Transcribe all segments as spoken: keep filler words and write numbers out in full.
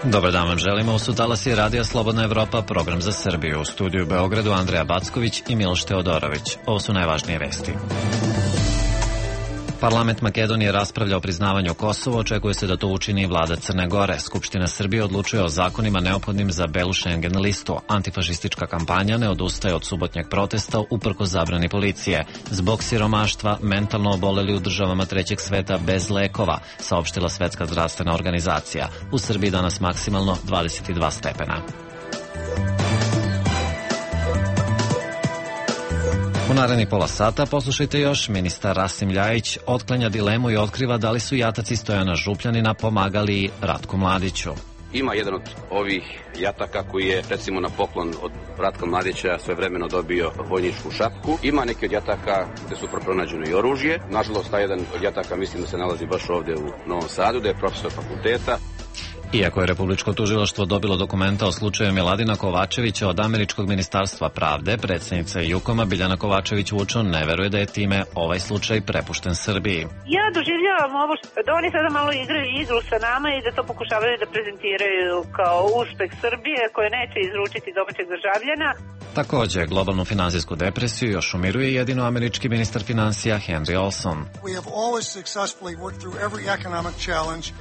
Dobar dan vam želimo, u su talasi Radija Slobodna Evropa, program za Srbiju. U studiju u Beogradu Andreja Backović i Miloš Teodorović. Ovo su najvažnije vesti. Parlament Makedonije raspravlja o priznavanju Kosova, očekuje se da to učini i vlada Crne Gore. Skupština Srbije odlučuje o zakonima neophodnim za belu Schengen listu. Antifašistička kampanja ne odustaje od subotnjeg protesta uprkos zabrani policije. Zbog siromaštva mentalno oboleli u državama trećeg sveta bez lekova, saopštila Svetska zdravstvena organizacija. U Srbiji danas maksimalno dvadeset dva stepena. U narednih pola sata poslušajte još, ministar Rasim Ljajić otklanja dilemu i otkriva da li su jataci Stojana Župljanina pomagali Ratku Mladiću. Ima jedan od ovih jataka koji je, recimo, na poklon od Ratka Mladića svojevremeno dobio vojničku šapku. Ima neki od jataka gde su pronađeno i oružje. Nažalost, taj jedan od jataka mislim da se nalazi baš ovde u Novom Sadu, da je profesor fakulteta. Iako je Republičko tužilaštvo dobilo dokumenta o slučaju Miladina Kovačevića od Američkog ministarstva pravde, predsjednica Jukoma Biljana Kovačević-Vučon ne veruje da je time ovaj slučaj prepušten Srbiji. Ja doživljavam ovo da oni sada malo igraju igru sa nama i da to pokušavaju da prezentiraju kao uspeh Srbije koje neće izručiti domaćeg državljana. Također, globalnu finansijsku depresiju još umiruje jedino američki ministar financija Henry Olson.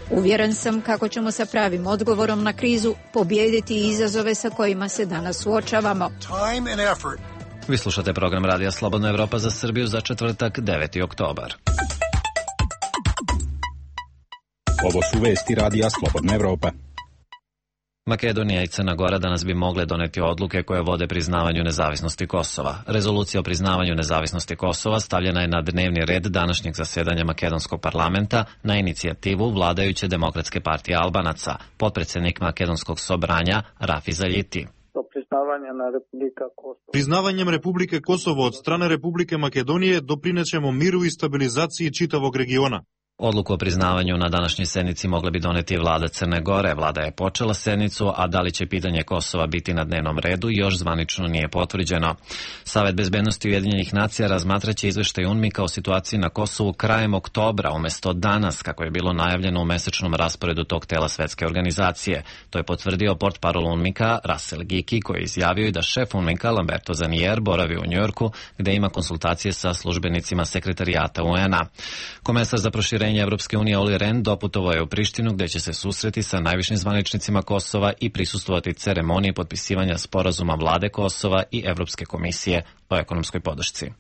Uvjeren sam kako ćemo sa pravim odgovorom na krizu pobijediti izazove sa kojima se danas suočavamo. Vi slušate program Radija Slobodna Evropa za Srbiju za četvrtak, deveti oktobar. Ovo su vesti Radija Slobodna Evropa. Makedonija i Crna Gora danas bi mogle doneti odluke koje vode priznavanju nezavisnosti Kosova. Rezolucija o priznavanju nezavisnosti Kosova stavljena je na dnevni red današnjeg zasjedanja Makedonskog parlamenta na inicijativu vladajuće Demokratske partije Albanaca, potpredsjednik Makedonskog sobranja Rafi Zaljiti. Priznavanjem Republike Kosovo od strane Republike Makedonije doprinećemo miru i stabilizaciji čitavog regiona. Odluku o priznavanju na današnjoj sednici mogla bi doneti vlada Crne Gore. Vlada je počela sednicu, a da li će pitanje Kosova biti na dnevnom redu još zvanično nije potvrđeno. Savet bezbednosti Ujedinjenih nacija razmatraće izveštaj UNMIK-a o situaciji na Kosovu krajem oktobra, umjesto danas, kako je bilo najavljeno u mesečnom rasporedu tog tela svetske organizacije. To je potvrdio portparol UNMIK-a Russell Giki, koji je izjavio i da šef UNMIK-a Lamberto Zanier boravi u Njujorku, gde ima konsultacije sa službenicima sekretarijata U N-a. Komesar za proširenje Evropske unije Olli Rehn doputovao je u Prištinu, gde će se susreti sa najvišim zvaničnicima Kosova i prisustvovati ceremoniji potpisivanja sporazuma vlade Kosova i Evropske komisije o ekonomskoj podršci.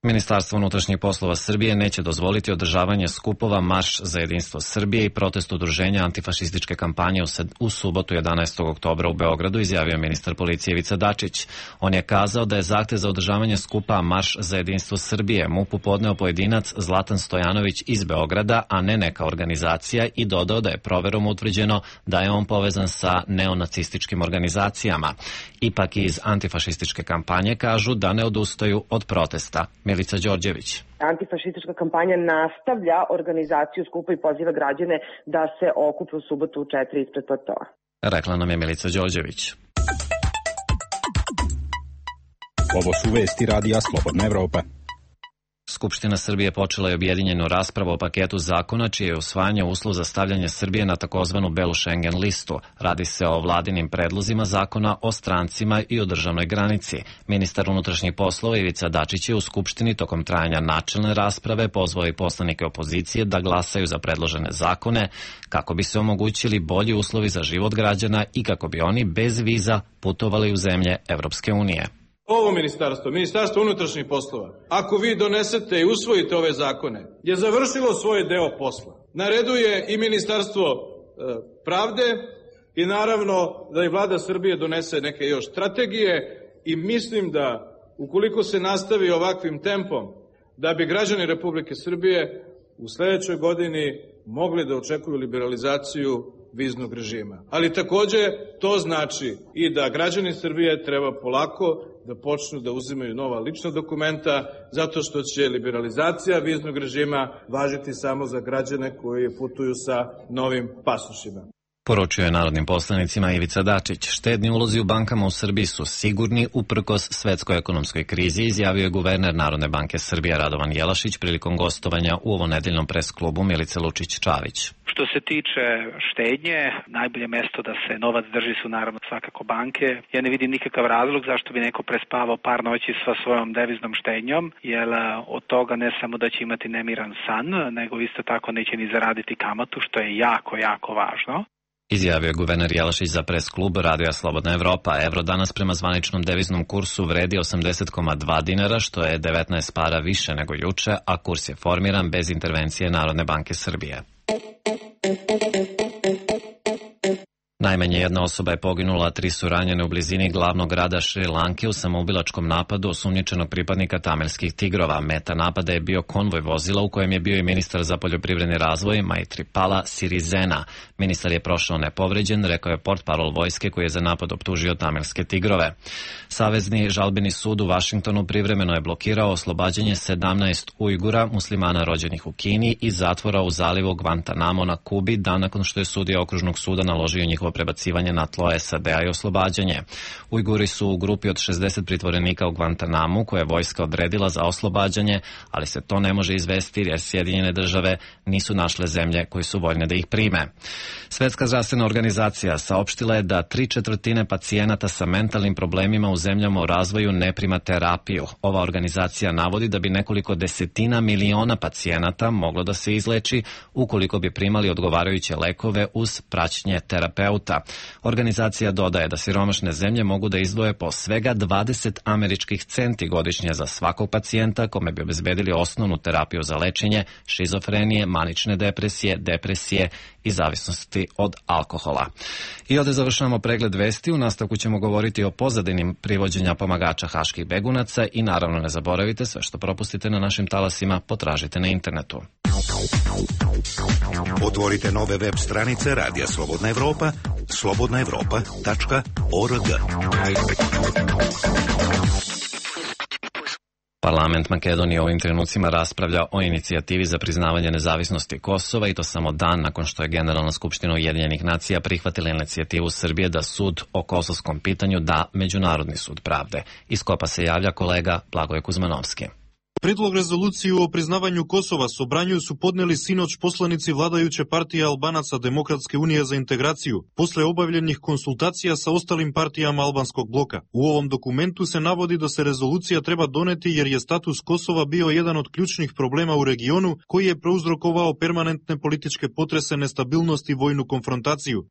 Ministarstvo unutrašnjih poslova Srbije neće dozvoliti održavanje skupova Marš za jedinstvo Srbije i protest udruženja antifašističke kampanje u subotu jedanaestog oktobra u Beogradu, izjavio ministar policije Ivica Dačić. On je kazao da je zahtev za održavanje skupa Marš za jedinstvo Srbije M U P-u podneo pojedinac Zlatan Stojanović iz Beograda, a ne neka organizacija, i dodao da je proverom utvrđeno da je on povezan sa neonacističkim organizacijama. Ipak iz antifašističke kampanje kažu da ne odustaju od protesta. Milica Đorđević. Antifašistička kampanja nastavlja organizaciju skupa i poziva građane da se okupe u subotu u četiri ispred platoa. Rekla nam je Milica Đorđević. Ovo su vesti Radija Slobodna Evropa. Skupština Srbije počela je objedinjenu raspravu o paketu zakona čije je usvajanje uslov za stavljanje Srbije na takozvanu belu Schengen listu. Radi se o vladinim predlozima zakona o strancima i o državnoj granici. Ministar unutrašnjih poslova Ivica Dačić je u Skupštini tokom trajanja načelne rasprave pozvao i poslanike opozicije da glasaju za predložene zakone kako bi se omogućili bolji uslovi za život građana i kako bi oni bez viza putovali u zemlje Evropske unije. Ovo ministarstvo, ministarstvo unutrašnjih poslova, ako vi donesete i usvojite ove zakone, je završilo svoj deo posla. Na redu je i ministarstvo e, pravde i naravno da i vlada Srbije donese neke još strategije i mislim da ukoliko se nastavi ovakvim tempom, da bi građani Republike Srbije u sledećoj godini mogli da očekuju liberalizaciju viznog režima. Ali takođe to znači i da građani Srbije treba polako da počnu da uzimaju nova lična dokumenta, zato što će liberalizacija viznog režima važiti samo za građane koji putuju sa novim pasošima. Poručio je narodnim poslanicima Ivica Dačić. Štedni ulozi u bankama u Srbiji su sigurni uprkos svetskoj ekonomskoj krizi, izjavio je guverner Narodne banke Srbije Radovan Jelašić prilikom gostovanja u ovonedeljnom pres klubu Milice Lučić-Čavić. Što se tiče štednje, najbolje mesto da se novac drži su naravno svakako banke. Ja ne vidim nikakav razlog zašto bi neko prespavao par noći sa svojom deviznom štednjom, jer od toga ne samo da će imati nemiran san, nego isto tako neće ni zaraditi kamatu, što je jako, jako važno. Izjavio je guverner Jelašić za pres klub Radija Slobodna Evropa. Evro danas prema zvaničnom deviznom kursu vredi osamdeset zarez dva dinara, što je devetnaest para više nego juče, a kurs je formiran bez intervencije Narodne banke Srbije. Najmanje jedna osoba je poginula, a tri su ranjene u blizini glavnog grada Šri Lanke u samoubilačkom napadu osumnjičenog pripadnika tamilskih tigrova. Meta napada je bio konvoj vozila u kojem je bio i ministar za poljoprivredni razvoj Maithripala Sirisena. Ministar je prošao nepovređen, rekao je portparol vojske koji je za napad optužio tamilske tigrove. Savezni žalbeni sud u Vašingtonu privremeno je blokirao oslobađanje sedamnaest Ujgura, muslimana rođenih u Kini, iz zatvora u zalivu Guantanamo na Kubi, dan nakon što je sudija okružnog suda naložio njihovo prebacivanje na tlo S A D-a i oslobađanje. Ujguri su u grupi od šezdeset pritvorenika u Guantanamu koje je vojska odredila za oslobađanje, ali se to ne može izvesti jer Sjedinjene države nisu našle zemlje koje su voljne da ih prime. Svetska zdravstvena organizacija saopštila je da tri četvrtine pacijenata sa mentalnim problemima u zemljama u razvoju ne prima terapiju. Ova organizacija navodi da bi nekoliko desetina miliona pacijenata moglo da se izleči ukoliko bi primali odgovarajuće lekove uz praćenje terapeuta. Organizacija dodaje da siromašne zemlje mogu da izdvoje po svega dvadeset američkih centi godišnje za svakog pacijenta kome bi obezbedili osnovnu terapiju za lečenje šizofrenije, manične depresije, depresije i zavisnosti od alkohola. I ovdje završavamo pregled vesti. U nastavku ćemo govoriti o pozadinim privođenja pomagača haških begunaca i naravno ne zaboravite, sve što propustite na našim talasima potražite na internetu. Otvorite nove web stranice Radija Slobodna Evropa, slobodna evropa tačka org. Parlament Makedonije u ovim trenucima raspravlja o inicijativi za priznavanje nezavisnosti Kosova i to samo dan nakon što je Generalna skupština Ujedinjenih nacija prihvatila inicijativu Srbije da sud o kosovskom pitanju da Međunarodni sud pravde. Iz Kopa se javlja kolega Blagoje Kuzmanovski. Predlog rezoluciju o priznavanju Kosova Sobranju su podneli sinoć poslanici vladajuće partije Albanaca Demokratske unije za integraciju, posle obavljenih konsultacija sa ostalim partijama albanskog bloka. U ovom dokumentu se navodi da se rezolucija treba doneti jer je status Kosova bio jedan od ključnih problema u regionu koji je prouzrokovao permanentne političke potrese, nestabilnost i vojnu konfrontaciju.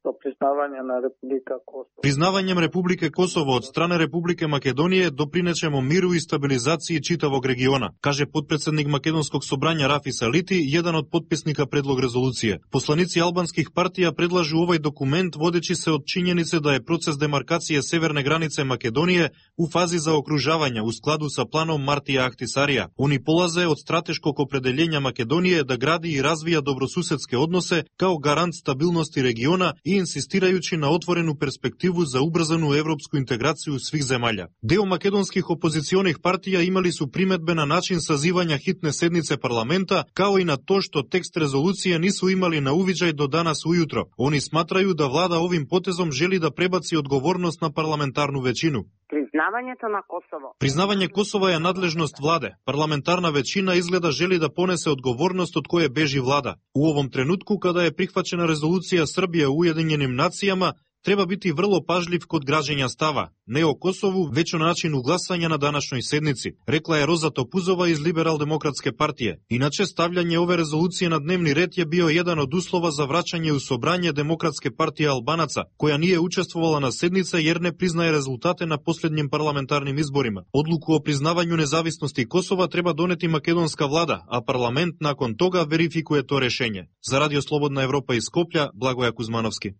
Na Republika Kosovo. Priznavanjem Republike Kosovo od strane Republike Makedonije doprinećemo miru i stabilizaciji čitavog regiona, kaže potpredsednik Makedonskog sobranja Rafis Aliti, jedan od potpisnika predlog rezolucije. Poslanici albanskih partija predlažu ovaj dokument vodeći se od činjenice da je proces demarkacije severne granice Makedonije u fazi zaokružavanja u skladu sa planom Martija Ahtisarija. Oni polaze od strateškog opredeljenja Makedonije da gradi i razvija dobrosusedske odnose kao garant stabilnosti regiona i insistirajući na otvorenu perspektivu za ubrzanu evropsku integraciju svih zemalja. Deo makedonskih opozicionih partija imali su primetbe na način sazivanja hitne sednice parlamenta, kao i na to što tekst rezolucije nisu imali na uviđaj do danas ujutro. Oni smatraju da vlada ovim potezom želi da prebaci odgovornost na parlamentarnu većinu. Priznavanje to na Kosovo. Priznavanje Kosova je nadležnost vlade. Parlamentarna većina izgleda želi da ponese odgovornost od koje beži vlada. U ovom trenutku, kada je prihvaćena rezolucija Srbije u Ujedinjenim nacijama, treba biti vrlo pažljiv kod građenja stava, ne o Kosovu, već o načinu glasanja na današnjoj sednici, rekla je Roza Topuzova iz Liberal-demokratske partije. Inače, stavljanje ove rezolucije na dnevni red je bio jedan od uslova za vraćanje u sobranje Demokratske partije Albanaca, koja nije učestvovala na sednice jer ne priznaje rezultate na posljednjim parlamentarnim izborima. Odluku o priznavanju nezavisnosti Kosova treba doneti makedonska vlada, a parlament nakon toga verifikuje to rešenje. Za Radio Slobodna Evropa iz Skoplja, Blagoja Kuzmanovski.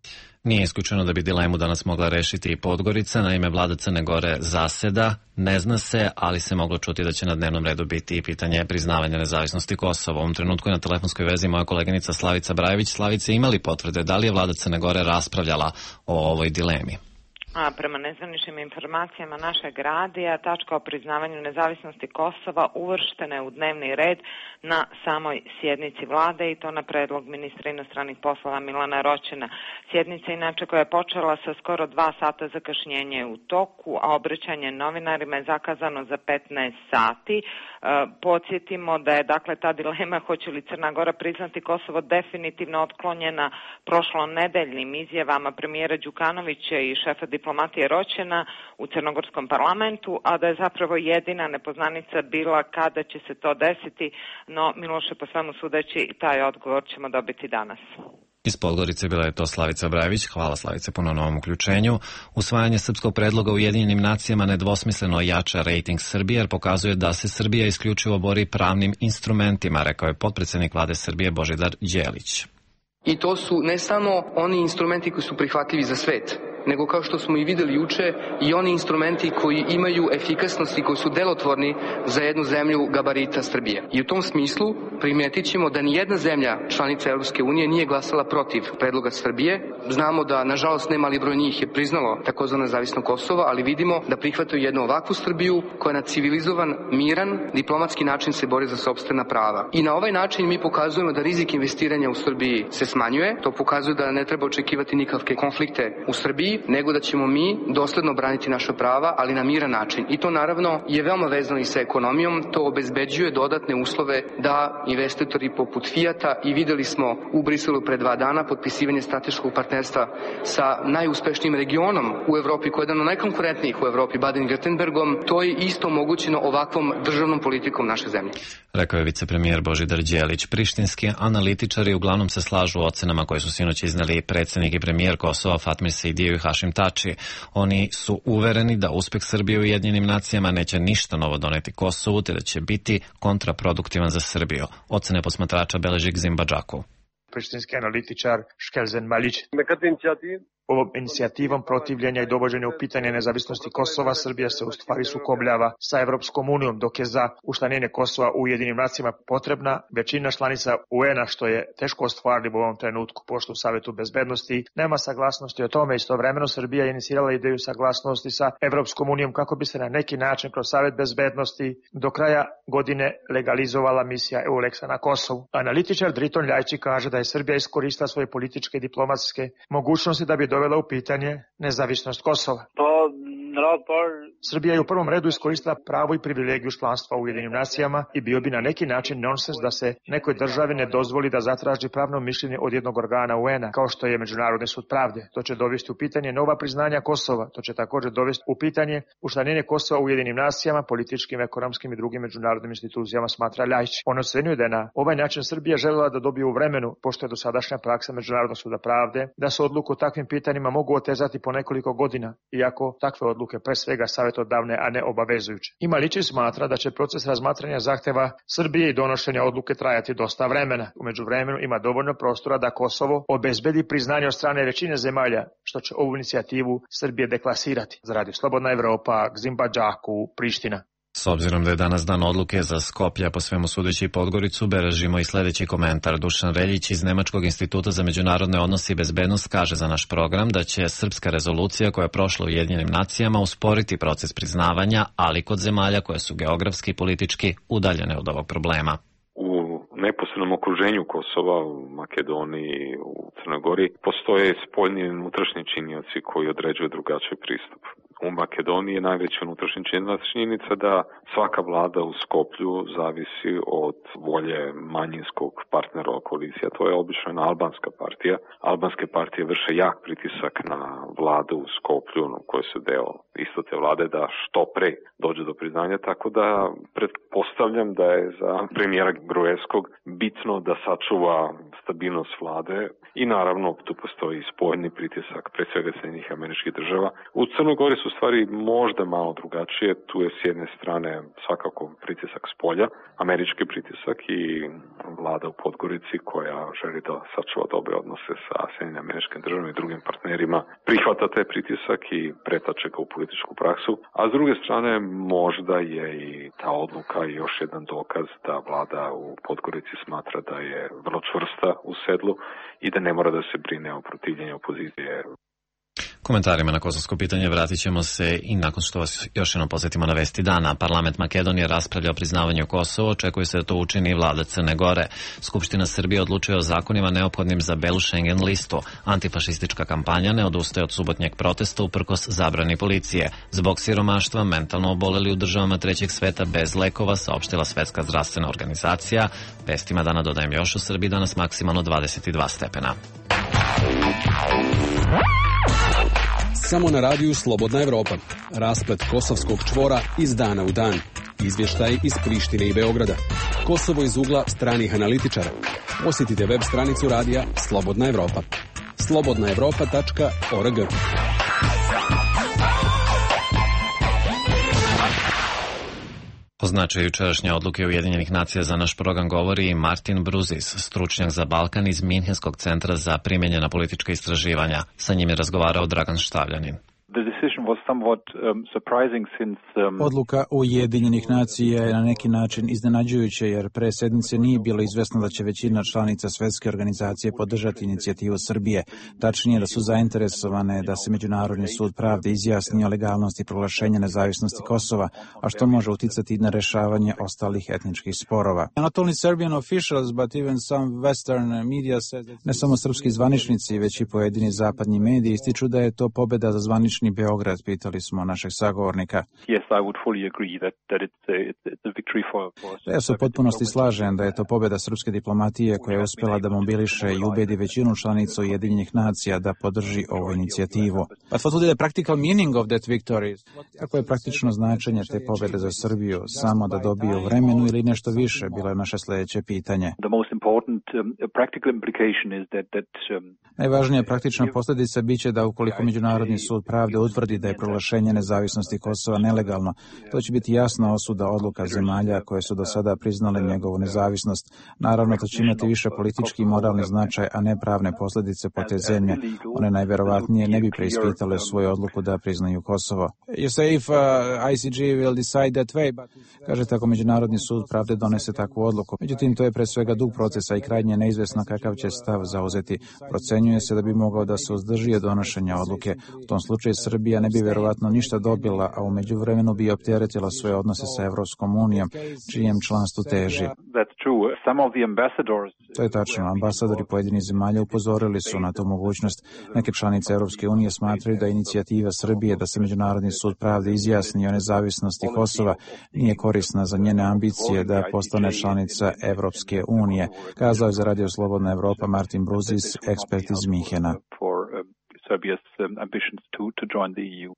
Nije isključeno da bi dilemu danas mogla rešiti i Podgorica, na ime vlada Crne Gore zaseda, ne zna se, ali se moglo čuti da će na dnevnom redu biti i pitanje priznavanja nezavisnosti Kosova. U ovom trenutku je na telefonskoj vezi moja koleginica Slavica Brajević. Slavice, imali potvrde da li je vlada Crne Gore raspravljala o ovoj dilemi? A prema nezvaničnim informacijama našeg radija, tačka o priznavanju nezavisnosti Kosova uvrštena je u dnevni red na samoj sjednici vlade i to na predlog ministra inostranih poslova Milana Roćena. Sjednica inače koja je počela sa skoro dva sata zakašnjenja je u toku, a obraćanje novinarima je zakazano za petnaest sati. E, podsjetimo da je dakle ta dilema hoće li Crna Gora priznati Kosovo definitivno otklonjena prošlonedeljnim izjavama premijera Đukanovića i šefa diplomatije Roćena u crnogorskom parlamentu, a da je zapravo jedina nepoznanica bila kada će se to desiti, no Miloše, po svemu sudeći, taj odgovor ćemo dobiti danas. Iz Podgorice bila je to Slavica Brajević. Hvala, Slavice, puno na ovom uključenju. Usvajanje srpskog predloga u Ujedinjenim nacijama nedvosmisleno jača rejting Srbije jer pokazuje da se Srbija isključivo bori pravnim instrumentima, rekao je potpredsednik vlade Srbije Božidar Đelić. I to su ne samo oni instrumenti koji su prihvatljivi za svet, nego kao što smo i videli juče i oni instrumenti koji imaju efikasnost i koji su delotvorni za jednu zemlju gabarita Srbije. I u tom smislu primetit ćemo da ni jedna zemlja članica Europske unije nije glasala protiv predloga Srbije. Znamo da, nažalost, nemali broj njih je priznalo takozvano nezavisno Kosovo, ali vidimo da prihvataju jednu ovakvu Srbiju koja na civilizovan, miran, diplomatski način se bori za sopstvena prava. I na ovaj način mi pokazujemo da rizik investiranja u Srbiji se smanjuje. To pokazuje da ne treba očekivati nikakve konflikte u Srbiji, nego da ćemo mi dosledno braniti naša prava, ali na miran način. I to naravno je veoma vezano i sa ekonomijom, to obezbeđuje dodatne uslove da investitori poput Fijata, i videli smo u Briselu pre dva dana potpisivanje strateškog partnerstva sa najuspešnijim regionom u Evropi, koji je jedan od najkonkurentnijih u Evropi, Baden-Württembergom, to je isto omogućeno ovakvom državnom politikom naše zemlje. Rekao je vicepremijer Božidar Đelić. Prištinski analitičari uglavnom se slažu u ocenama koje su sinoć izneli predsjednik i premijer Kosova Fatmir Sejdijev i Hašim Tači. Oni su uvereni da uspeh Srbije u Ujedinjenim nacijama neće ništa novo doneti Kosovu, te da će biti kontraproduktivan za Srbiju. Ocene posmatrača beleži Gzim Badžakov. Prištinski analitičar Škelzen Maljić. Ovom inicijativom protivljenja i dovođenja u pitanje nezavisnosti Kosova, Srbija se u stvari sukobljava sa Evropskom unijom, dok je za učlanjenje Kosova u Ujedinjenim nacijama potrebna većina članica U N-a, što je teško ostvarljivo u ovom trenutku, pošto u Savetu bezbednosti nema saglasnosti o tome. Istovremeno Srbija je inicirala ideju saglasnosti sa Evropskom unijom kako bi se na neki način kroz Savet bezbednosti do kraja godine legalizovala misija EULEX-a na Kosovu. Analitičar Driton Ljajči kaže da je Srbija iskoristila svoje političke i diplomatske mogućnosti da bi dovela u pitanje nezavisnost Kosova. Srbija je u prvom redu iskoristila pravo i privilegiju članstva u Ujedinjenim nacijama i bio bi na neki način nonsens da se nekoj državi ne dozvoli da zatraži pravno mišljenje od jednog organa U N-a, kao što je Međunarodni sud pravde. To će dovesti u pitanje nova priznanja Kosova. To će također dovesti u pitanje učlanjenje Kosova u Ujedinjenim nacijama, političkim, ekonomskim i drugim međunarodnim institucijama, smatra Ljajić. On ocenjuje da je na ovaj način Srbija želela da dobije u vremenu, pošto je dosadašnja praksa Međunarodnog suda pravde, da se odluku o takvim pitanjima mogu otezati po nekoliko godina, iako takve odluke pre svega savjetodavne, a ne obavezujuće. I Maličić smatra da će proces razmatranja zahteva Srbije i donošenja odluke trajati dosta vremena. U međuvremenu ima dovoljno prostora da Kosovo obezbedi priznanje od strane većine zemalja, što će ovu inicijativu Srbije deklasirati. Za Radio Slobodna Evropa, Gzim Badžaku, Priština. S obzirom da je danas dan odluke za Skoplje, po svemu sudeći Podgoricu, beležimo i sljedeći komentar. Dušan Reljić iz Nemačkog instituta za međunarodne odnose i bezbednost kaže za naš program da će srpska rezolucija koja je prošla u Ujedinjenim nacijama usporiti proces priznavanja, ali kod zemalja koje su geografski i politički udaljene od ovog problema. U neposrednom okruženju Kosova, u Makedoniji, u Crnoj Gori, postoje spoljni i unutrašnji činioci koji određuju drugačiji pristup. U Makedoniji je najveća unutrašnja činjenica da svaka vlada u Skoplju zavisi od volje manjinskog partnera koalicija. To je obično jedna albanska partija. Albanske partije vrše jak pritisak na vladu u Skoplju, koje su deo isto te vlade, da što pre dođe do priznanja. Tako da pretpostavljam da je za premijera Gruevskog bitno da sačuva stabilnost vlade i naravno tu postoji spoljni pritisak, pre svega Sjedinjenih Američkih Država. U Crnoj Gori su stvari možda malo drugačije. Tu je s jedne strane svakako pritisak s polja, američki pritisak i vlada u Podgorici koja želi da sačuva dobre odnose sa Sjedinjenim Američkim Državama i drugim partnerima, prihvata taj pritisak i pretače ga u političku praksu. A s druge strane možda je i ta odluka još jedan dokaz da vlada u Podgorici smatra da je vrlo čvrsta u sedlu i da ne mora da se brine o protivljenju opozicije. Komentarima na kosovsko pitanje vratit ćemo se i nakon što vas još jednom posjetimo na vesti dana. Parlament Makedonije raspravlja o priznavanju Kosova, očekuje se da to učini i vlada Crne Gore. Skupština Srbije odlučuje o zakonima neophodnim za belu Schengen listu. Antifašistička kampanja ne odustaje od subotnjeg protesta uprkos zabrani policije. Zbog siromaštva mentalno oboleli u državama trećeg sveta bez lekova, saopštila Svetska zdravstvena organizacija. Vestima dana dodajem još u Srbiji danas maksimalno dvadeset dva stepena. Samo na radiju Slobodna Evropa. Rasplet kosovskog čvora iz dana u dan. Izvještaj iz Prištine i Beograda. Kosovo iz ugla stranih analitičara. Posjetite web stranicu radija Slobodna Evropa. slobodna evropa tačka org. O značaju jučerašnje odluke Ujedinjenih nacija za naš program govori i Martin Bruzis, stručnjak za Balkan iz Minhenskog centra za primenjena politička istraživanja. Sa njim je razgovarao Dragan Štavljanin. Odluka Ujedinjenih nacija je na neki način iznenađujuća jer pre sedmice nije bilo izvesno da će većina članica Svetske organizacije podržati inicijativu Srbije. Tačnije da su zainteresovane da se Međunarodni sud pravde izjasni o legalnosti proglašenja nezavisnosti Kosova, a što može uticati na rešavanje ostalih etničkih sporova. Ne samo srpski zvaničnici, već i pojedini zapadni mediji ističu da je to pobeda za zvanični Beograd, pitali smo našeg sagovornika. Ja se u potpunosti slažem da je to pobjeda srpske diplomatije koja je uspjela da mobiliše i ubedi većinu članica Ujedinjenih nacija da podrži ovu inicijativu. Kako je praktično značenje te pobjede za Srbiju? Samo da dobiju vremenu ili nešto više? Bilo je naše sljedeće pitanje. Najvažnija praktična posljedica biće da ukoliko Međunarodni sud pravde utvrdi da je proglašenje nezavisnosti Kosova nelegalno, to će biti jasna osuda odluka zemalja koje su do sada priznale njegovu nezavisnost. Naravno, to će imati više politički i moralni značaj, a ne pravne posljedice po te zemlje. One najverovatnije ne bi preispitale svoju odluku da priznaju Kosovo. Kažete ako Međunarodni sud pravde donese takvu odluku. Međutim, to je pre svega dug procesa i krajnje neizvesno kakav će stav zauzeti. Procenjuje se da bi mogao da se uzdrži od donošenja odluke. U tom slučaju Srbija ne bi verovatno ništa dobila, a u međuvremenu bi opteretila svoje odnose sa Evropskom unijom, čijem članstvu teži. To je tačno. Ambasadori pojedinih zemalja upozorili su na tu mogućnost. Neke članice Evropske unije smatraju da inicijativa Srbije da se Međunarodni sud pravde izjasni o nezavisnosti Kosova nije korisna za njene ambicije da postane članica Evropske unije, kazao je za Radio Slobodna Evropa Martin Bruzis, ekspert iz Minhena. Serbia's um, ambitions to, to join the E U.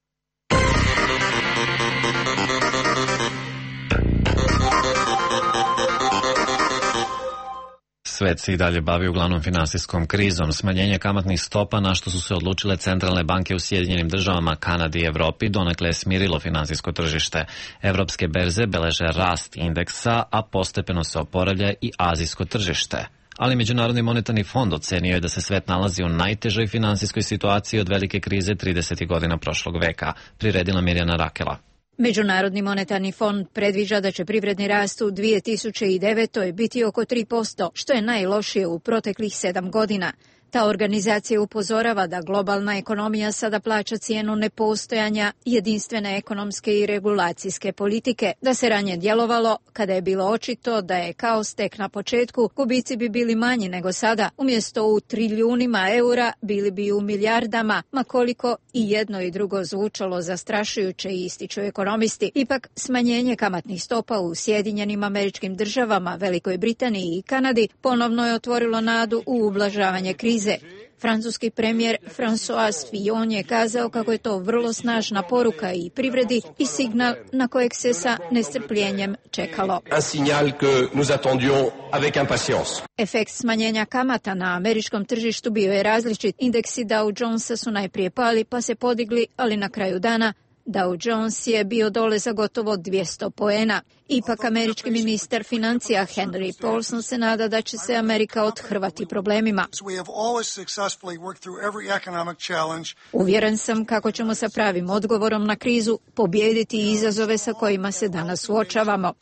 Svet se i dalje bavi uglavnom finansijskom krizom. Smanjenje kamatnih stopa na što su se odlučile centralne banke u Sjedinjenim državama, Kanadi i Evropi donekle je smirilo finansijsko tržište. Evropske berze beleže rast indeksa, a postepeno se oporavlja i azijsko tržište. Ali Međunarodni monetarni fond ocenio je da se svet nalazi u najtežoj finansijskoj situaciji od velike krize tridesetih godina prošlog veka, priredila Mirjana Rakela. Međunarodni monetarni fond predviđa da će privredni rast u dvije tisuće devetoj biti oko tri posto, što je najlošije u proteklih sedam godina. Ta organizacija upozorava da globalna ekonomija sada plaća cijenu nepostojanja jedinstvene ekonomske i regulacijske politike, da se ranije djelovalo kada je bilo očito da je kaos tek na početku, gubici bi bili manji nego sada, umjesto u trilijunima eura bili bi u milijardama, ma koliko i jedno i drugo zvučalo zastrašujuće, ističu ekonomisti. Ipak smanjenje kamatnih stopa u Sjedinjenim Američkim Državama, Velikoj Britaniji i Kanadi ponovno je otvorilo nadu u ublažavanje krize. Francuski premijer François Fillon je kazao kako je to vrlo snažna poruka i privredi i signal na kojeg se sa nestrpljenjem čekalo. Efekt smanjenja kamata na američkom tržištu bio je različit. Indeksi Dow Jonesa su najprije pali pa se podigli, ali na kraju dana Dow Jones je bio dole za gotovo dvjesto poena. Ipak američki ministar financija Henry Paulson se nada da će se Amerika othrvati problemima. Uvjeren sam kako ćemo sa pravim odgovorom na krizu pobijediti izazove sa kojima se danas suočavamo.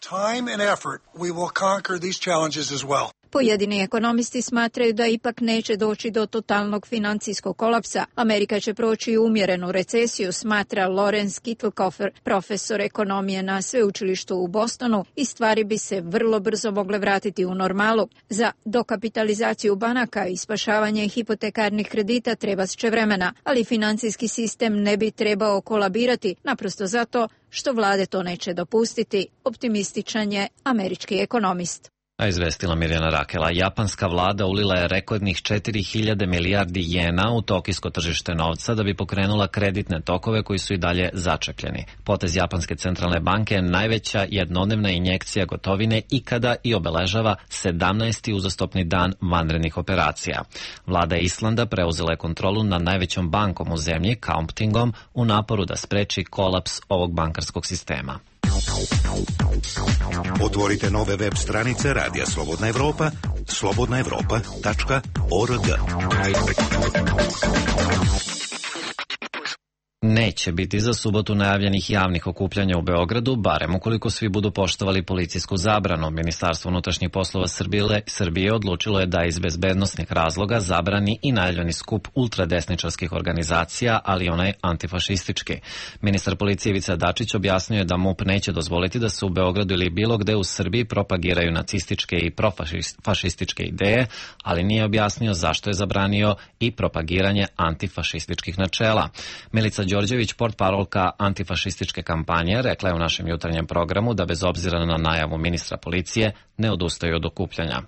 Pojedini ekonomisti smatraju da ipak neće doći do totalnog financijskog kolapsa. Amerika će proći umjerenu recesiju, smatra Lorenz Kittelkofer, profesor ekonomije na sveučilištu u Bostonu, i stvari bi se vrlo brzo mogle vratiti u normalu. Za dokapitalizaciju banaka i spašavanje hipotekarnih kredita treba će vremena, ali financijski sistem ne bi trebao kolabirati, naprosto zato što vlade to neće dopustiti, optimističan je američki ekonomist. A izvestila Mirjana Rakela, japanska vlada ulila je rekordnih četiri hiljade milijardi jena u tokijsko tržište novca da bi pokrenula kreditne tokove koji su i dalje začepljeni. Potez japanske centralne banke je najveća jednodnevna injekcija gotovine ikada i obeležava sedamnaesti uzastopni dan vanrednih operacija. Vlada Islanda preuzela je kontrolu nad najvećom bankom u zemlji, Kaupthingom, u naporu da spreči kolaps ovog bankarskog sistema. Otvorite nove web stranice Radija Slobodna Evropa, slobodna evropa tačka org. Neće biti za subotu najavljenih javnih okupljanja u Beogradu, barem ukoliko svi budu poštovali policijsku zabranu. Ministarstvo unutrašnjih poslova Srbije, Srbije odlučilo je da iz bezbednosnih razloga zabrani i najavljeni skup ultradesničarskih organizacija, ali onaj antifašistički. Ministar policije Ivica Dačić objasnio je da MUP neće dozvoliti da se u Beogradu ili bilo gde u Srbiji propagiraju nacističke i profašističke ideje, ali nije objasnio zašto je zabranio i propagiranje antifašističkih načela. Milica Đorđević, portparolka antifašističke kampanje, rekla je u našem jutarnjem programu da bez obzira na najavu ministra policije ne odustaju od okupljanja.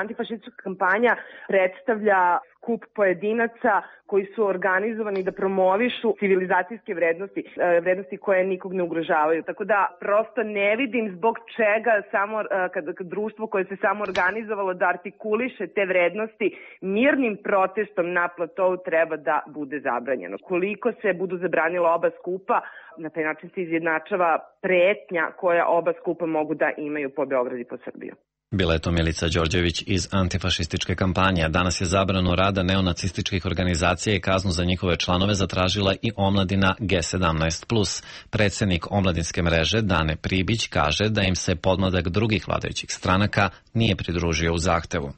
Antifašistička kampanja predstavlja skup pojedinaca koji su organizovani da promovišu civilizacijske vrednosti, vrednosti koje nikog ne ugrožavaju. Tako da prosto ne vidim zbog čega samo kad, kad društvo koje se samo organizovalo da artikuliše te vrednosti mirnim protestom na platou treba da bude zabranjeno. Koliko se budu zabranila oba skupa, na taj način se izjednačava pretnja koja oba skupa mogu da imaju po Beogradu i po Srbiju. Bila je to Milica Đorđević iz antifašističke kampanje. Danas je zabranu rada neonacističkih organizacija i kaznu za njihove članove zatražila i omladina G sedamnaest plus. Predsjednik omladinske mreže Dane Pribić kaže da im se podmladak drugih vladajućih stranaka nije pridružio u zahtevu.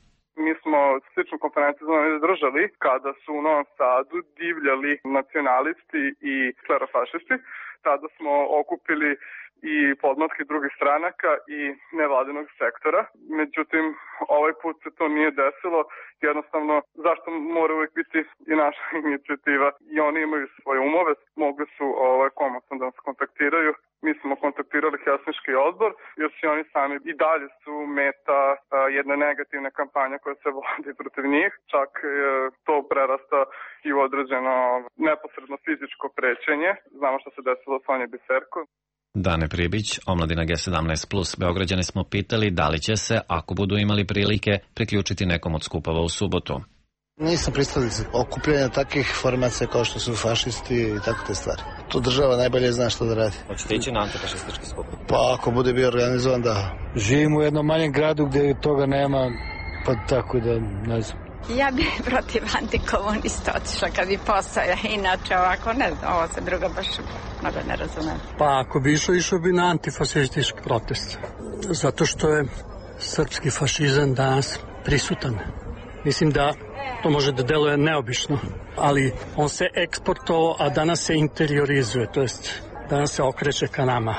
Mi smo sličnu konferenciju držali kada su u Novom Sadu divljali nacionalisti i klerofašisti. Tada smo okupili i podmlatke drugih stranaka i nevladinog sektora. Međutim, ovaj put se to nije desilo. Jednostavno, zašto mora uvijek biti i naša inicijativa? I oni imaju svoje umove, mogli su ovaj, komotno da nas kontaktiraju. Mi smo kontaktirali Helsinški odbor, jer su oni sami i dalje su meta a, jedne negativne kampanje koja se vodi protiv njih. Čak e, to prerasta i u određeno neposredno fizičko prećenje. Znamo što se desilo s Sonje Biserko. Dane Pribić, omladina G sedamnaest plus. Beograđane smo pitali da li će se, ako budu imali prilike, priključiti nekom od skupova u subotu. Nisam pristalica okupljanja takvih formacija kao što su fašisti i tako te stvari. Tu država najbolje zna što da radi. Hoćete ići na antifašistički skup? Pa ako bude bio organizovan, da. Živim u jednom manjem gradu gde toga nema, pa tako da ne znam. Ja bih protiv antikomunista otišla kad bi postoja, inače ovako ne znam, ovo se druga baš mnogo ne razumem. Pa ako bi išao, išao bi na antifašistički protest, zato što je srpski fašizam danas prisutan. Mislim da to može da deluje neobično, ali on se eksportovao, a danas se interiorizuje, to jest danas se okreće ka nama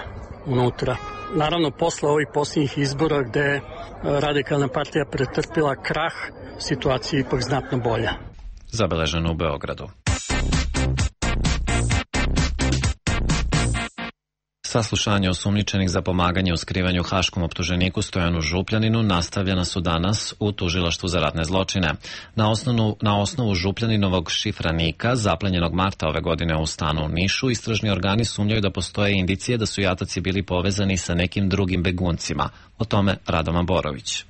unutra. Naravno, posle ovih posljednjih izbora gde je Radikalna partija pretrpila krah, situacija je ipak znatno bolja. Zabeleženo u Beogradu. Saslušanje osumnjičenih za pomaganje u skrivanju haškom optuženiku Stojanu Župljaninu nastavljena su danas u tužilaštvu za ratne zločine. Na osnovu, na osnovu Župljaninovog šifranika, zaplenjenog marta ove godine u stanu u Nišu, istražni organi sumnjaju da postoje indicije da su jataci bili povezani sa nekim drugim beguncima. O tome Radoma Borović.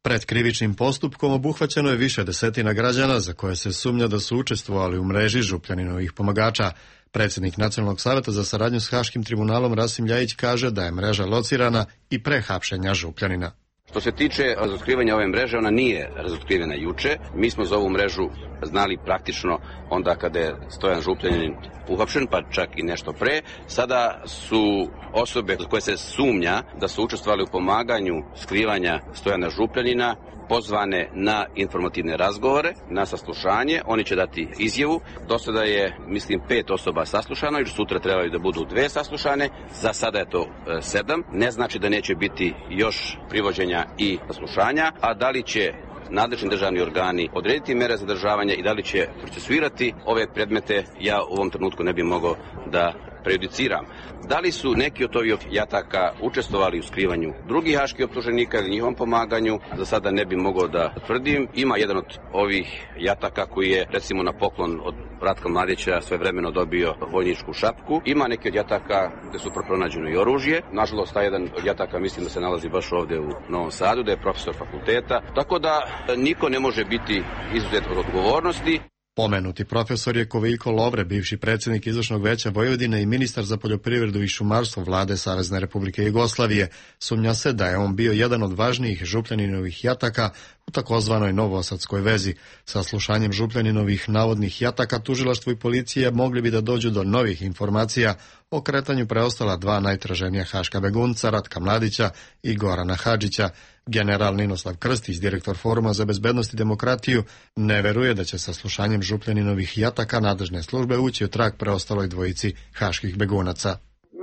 Pred krivičnim postupkom obuhvaćeno je više desetina građana za koje se sumnja da su učestvovali u mreži Župljaninovih pomagača. Predsjednik Nacionalnog saveta za saradnju s Haškim tribunalom Rasim Ljajić kaže da je mreža locirana i pre hapšenja Župljanina. Što se tiče razotkrivanja ove mreže, ona nije razotkrivena juče. Mi smo za ovu mrežu znali praktično onda kada je Stojan Župljanin uhapšen, pa čak i nešto pre. Sada su osobe koje se sumnja da su učestvovali u pomaganju skrivanja Stojana Župljanina pozvane na informativne razgovore, na saslušanje. Oni će dati izjavu. Do sada je, mislim, pet osoba saslušano, jer sutra trebaju da budu dve saslušane. Za sada je to e, sedam. Ne znači da neće biti još privođenja i saslušanja, a da li će nadležni državni organi odrediti mere zadržavanja i da li će procesuirati ove predmete, ja u ovom trenutku ne bih mogao da prejudiciram. Da li su neki od ovih jataka učestvovali u skrivanju drugih haških optuženika ili njihovom pomaganju, za sada ne bih mogao da tvrdim. Ima jedan od ovih jataka koji je, recimo, na poklon od Ratka Mladića svojevremeno dobio vojničku šapku. Ima neki od jataka gde su pronađeno i oružje. Nažalost, taj jedan od jataka mislim da se nalazi baš ovde u Novom Sadu, da je profesor fakulteta. Tako da niko ne može biti izuzet od odgovornosti. Pomenuti profesor je Koviljko Lovre, bivši predsjednik Izvršnog veća Vojvodine i ministar za poljoprivredu i šumarstvo vlade Savezne Republike Jugoslavije. Sumnja se da je on bio jedan od važnijih Župljaninovih jataka u takozvanoj Novosadskoj vezi. Sa slušanjem Župljaninovih navodnih jataka tužilaštvo i policija mogli bi da dođu do novih informacija o kretanju preostala dva najtraženija haška begunca, Ratka Mladića i Gorana Hadžića. General Ninoslav Krstić, direktor Foruma za bezbednost i demokratiju, ne veruje da će sa slušanjem Župljaninovih jataka nadležne službe ući u trag preostaloj dvojici haških begunaca.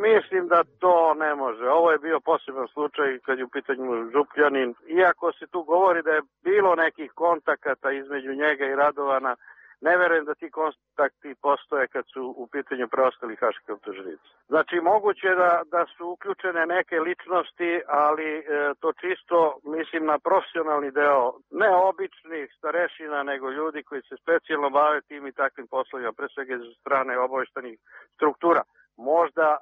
Mislim da to ne može. Ovo je bio poseban slučaj kad je u pitanju Župljanin. Iako se tu govori da je bilo nekih kontakata između njega i Radovana, ne verujem da ti kontakti postoje kad su u pitanju preostali haški optuženici. Znači, moguće je da, da su uključene neke ličnosti, ali e, to čisto, mislim, na profesionalni deo, ne običnih starešina, nego ljudi koji se specijalno bave tim i takvim poslovima, pre svega iz strane obaveštajnih struktura. Možda e,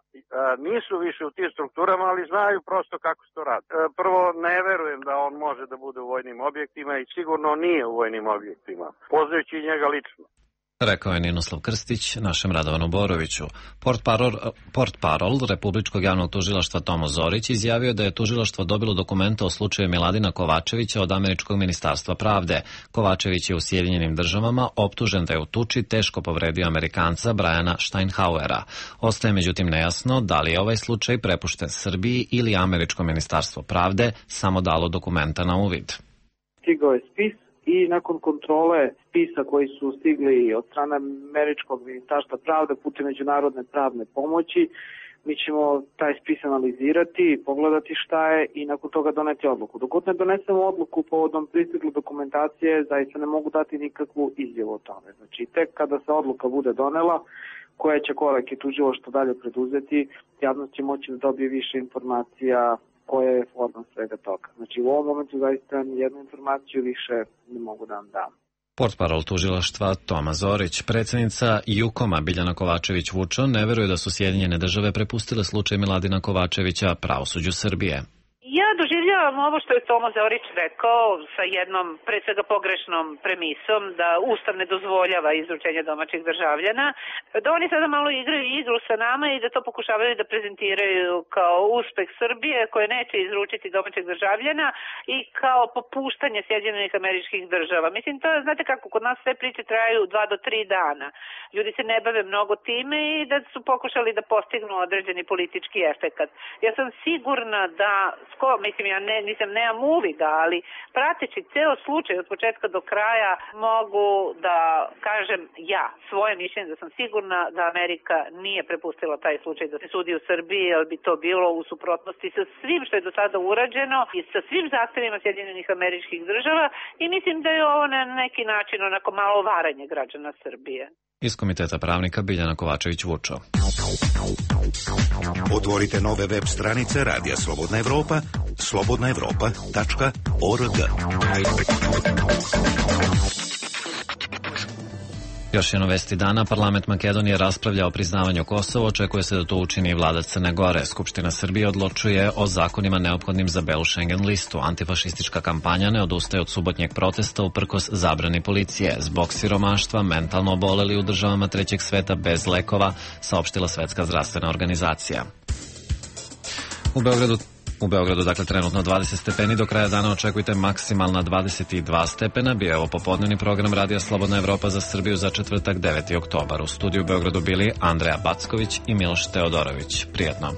nisu više u tim strukturama, ali znaju prosto kako se to radi. E, prvo, ne verujem da on može da bude u vojnim objektima i sigurno nije u vojnim objektima, poznajući njega lično. Rekao je Ninoslav Krstić našem Radovanu Boroviću. Portparol, portparol Republičkog javnog tužilaštva Tomo Zorić izjavio da je tužilaštvo dobilo dokumente o slučaju Miladina Kovačevića od Američkog ministarstva pravde. Kovačević je u Sjedinjenim državama optužen da je u tuči teško povredio Amerikanca Briana Steinhauera. Ostaje međutim nejasno da li je ovaj slučaj prepušten Srbiji ili Američko ministarstvo pravde samo dalo dokumenta na uvid. Stigao je spis i nakon kontrole spisa koji su stigli od strane Američkog ministarstva pravde putem međunarodne pravne pomoći, mi ćemo taj spis analizirati, pogledati šta je i nakon toga doneti odluku. Dok ne donesemo odluku povodom pristigle dokumentacije, zaista ne mogu dati nikakvu izjavu o tome. Znači, tek kada se odluka bude donela, koje će korake tužilaštvo dalje preduzeti, javnost će moći da dobije više informacija koja je forma svega toga. Znači, u ovom momentu zaista jednu informaciju više ne mogu da vam dam. Portparol tužilaštva Toma Zorić, predsjednica Jukoma Biljana Kovačević-Vučo, ne veruje da su Sjedinjene države prepustile slučaj Miladina Kovačevića pravosuđu Srbije. Ja doživljavam ovo što je Tomo Zorić rekao sa jednom, pre svega pogrešnom premisom, da Ustav ne dozvoljava izručenje domaćih državljana, da oni sada malo igraju igru sa nama i da to pokušavaju da prezentiraju kao uspeh Srbije koje neće izručiti domaćih državljana i kao popuštanje Sjedinjenih Američkih Država. Mislim, to je, znate kako, kod nas sve priče traju dva do tri dana. Ljudi se ne bave mnogo time i da su pokušali da postignu određeni politički efekat. Ja sam sigurna da Ko, mislim, ja ne, nisam, nemam uvida, ali prateći ceo slučaj od početka do kraja mogu da kažem ja, svoje mišljenje, da sam sigurna da Amerika nije prepustila taj slučaj da se sudi u Srbiji, jer bi to bilo u suprotnosti sa svim što je do sada urađeno i sa svim zahtevima Sjedinjenih Američkih Država i mislim da je ovo na neki način onako malo varanje građana Srbije. Iz Komiteta pravnika Biljana Kovačević-Vučo. Otvorite nove web stranice Radija Slobodna Evropa, slobodna evropa tačka org. Još jedno vesti dana, parlament Makedonije raspravlja o priznavanju Kosova, očekuje se da to učini i vlada Crne Gore. Skupština Srbije odlučuje o zakonima neophodnim za belu Schengen listu. Antifašistička kampanja ne odustaje od subotnjeg protesta uprkos zabrani policije. Zbog siromaštva mentalno oboleli u državama trećeg sveta bez lekova, saopštila Svetska zdravstvena organizacija. U Beogradu U Beogradu, dakle, trenutno dvadeset stepeni, do kraja dana očekujte maksimalna dvadeset dva stepena. Bio je ovo popodnevni program Radija Slobodna Evropa za Srbiju za četvrtak deveti oktobar. U studiju u Beogradu bili Andreja Backović i Miloš Teodorović. Prijetno.